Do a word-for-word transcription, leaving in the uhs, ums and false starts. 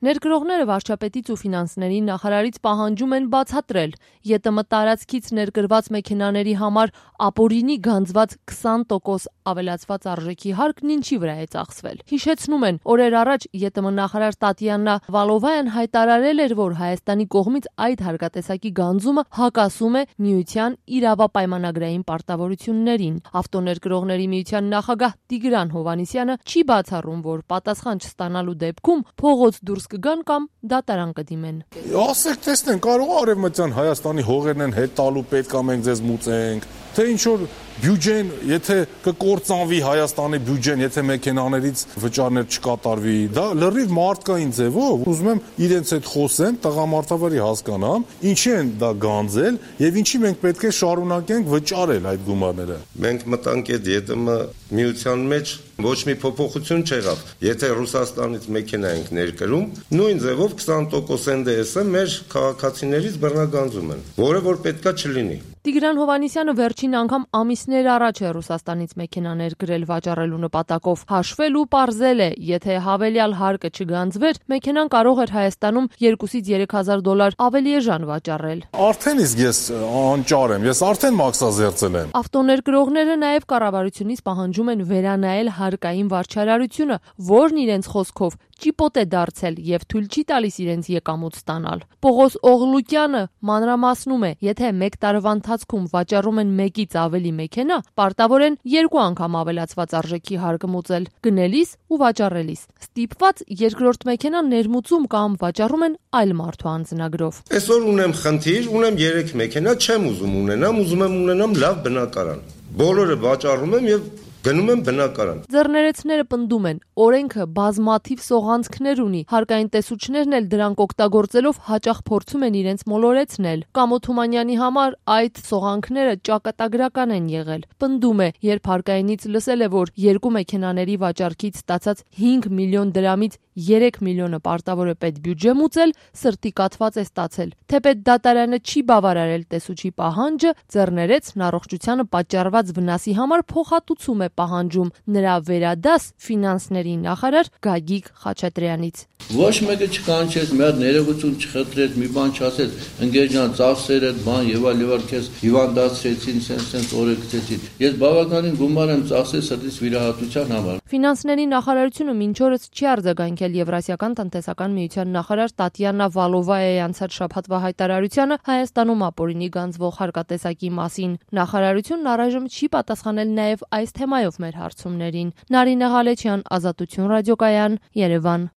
Ներգրողները վարչապետից ու ֆինանսների նախարարից պահանջում են բացատրել ԵՏՄ տարածքից ներկրված մեքենաների համար ապօրինի գանձված քսան տոկոս ավելացված արժեքի հարկն ինչի վրա է ծախսվել։ Հիշեցնում են, օրեր առաջ ԵՏՄ նախարար Տատյանա Վալովայան հայտարարել էր, որ Հայաստանի կողմից այդ հարկատեսակի գանձումը հակասում է միության իրավապայմանագրային պարտավորություններին։ Ավտոներկրողների միության նախագահ Տիգրան Հովհաննիսյանը չի բացառում, որ պատասխան չստանալու դեպքում փողոց դուրս կգան կամ դատարան կդիմեն։ Ասեք, տեսնեն, կարող է Արևմտյան Հայաստանի հողերն են հետ տալու, պետք է մենք ձեզ մուծենք, թե ինչ որ բյուջեն, եթե կկործանվի Հայաստանի բյուջեն, եթե մեքենաներից վճարներ չկատարվի, դա լրիվ մարդկային ձևով, ուզում եմ իրենց հետ խոսեմ, տղամարդավարի հասկանամ, ինչի են դա գանձել եւ ինչի մենք պետք է շարունակենք վճարել այդ գումարները։ Մենք մտանք այդ ԵՏՄ միության մեջ, ոչ մի փոփոխություն չեղավ։ Եթե Ռուսաստանից մեքենա ենք ներկրում, նույն ձևով քսան տոկոս N D S-ը մեր քաղաքացիներից բռնագանձում են, որը որ պետքա չլինի։ Տիգրան Հովհաննիսյանը վերջին անգամ ամիսներ առաջ է Ռուսաստանից մեքենա ներկրել վաճառելու նպատակով։ Հաշվել ու պարզել է, եթե հավելյալ հարկը չգանձվեր, մեքենան կարող էր Հայաստանում երկուից երեք հազար դոլար ավելի էժան վաճառել։ Արդեն իսկ ես անճար եմ, ես արդեն մաքսազերծել եմ։ Ավտոներկրողները նաև կառավարությունից պահանջում են վերանայել հարկային վարչարարությունը, որն իրենց խոսքով ճիպոտ է դարձել եւ թույլ չի տալիս իրենց եկամուտ ստանալ։ Պողոս Օղլուկյանը մանրամասնում է, եթե մեկ տարվա ընթացքում վաճառում են մեկից ավելի մեքենա, պարտավոր են երկու անգամ ավելացված արժեքի հարկը մուծել՝ գնելիս ու վաճառելիս։ Ստիպված երկրորդ մեքենան ներմուծում կամ վաճառում են այլ մարդու անձնագրով։ Այսօր ունեմ խնդիր, ունեմ երեք մեքենա, չեմ ուզում ունենամ, ուզում եմ ունենամ լավ բնակարան։ Բոլորը վաճառում եմ եւ գնում եմ բնակարան։ Ձեռներեցները պնդում են, օրենքը բազմաթիվ սողանցքներ ունի, հարկային տեսուչներն էլ դրանք օգտագործելով հաճախ փորձում են իրենց մոլորեցնել։ Կամո Թումանյանի համար այդ սողանքները ճակատագրական են եղել։ Պնդում է, երբ հարկայինից լսել է, որ երկու մեքենաների վաճառքից ստացած հինգ միլիոն դրամից երեք միլիոնը պարտավոր է պետբյուջե մուծել, սրտի կաթված է ստացել։ Թեպետ դատարանը չի բավարարել տեսուչի պահանջը, ձեռներեցն առողջությանը պատճառված վնասի համար փոխհատուցում է պահանջում նրա վերադաս ֆինանսների նախարար Գագիկ Խաչատրյանից։ Ոչ մեկը չկանչեց, մի հատ ներողություն չխնդրեց, մի բան չասեց, ընկեր ջան, ծախսերը, բան եւ այլ եւ այլ քեզ հիվանդացրեցին, սենց-սենց օրը գցեցին։ Ես բավականին գումար եմ ծախսել սրտից վիրահատության համար։ Ֆինանսների նախարարությունը մինչ օրս չի արձագանքել Եվրասիական տնտեսական միության նախարար Տատյանա Վալովայայի անցած շաբաթվա հայտարարությանը Հայաստանում ապօրինի գանձվող հարկատեսակի մասին։ Նախարարությունն առայժմ չի պատասխանել նաև այս թեմայով մեր հարցումներին։ Նարինե Ղալեչյան, Ազատություն ռադիոկայան, Երևան։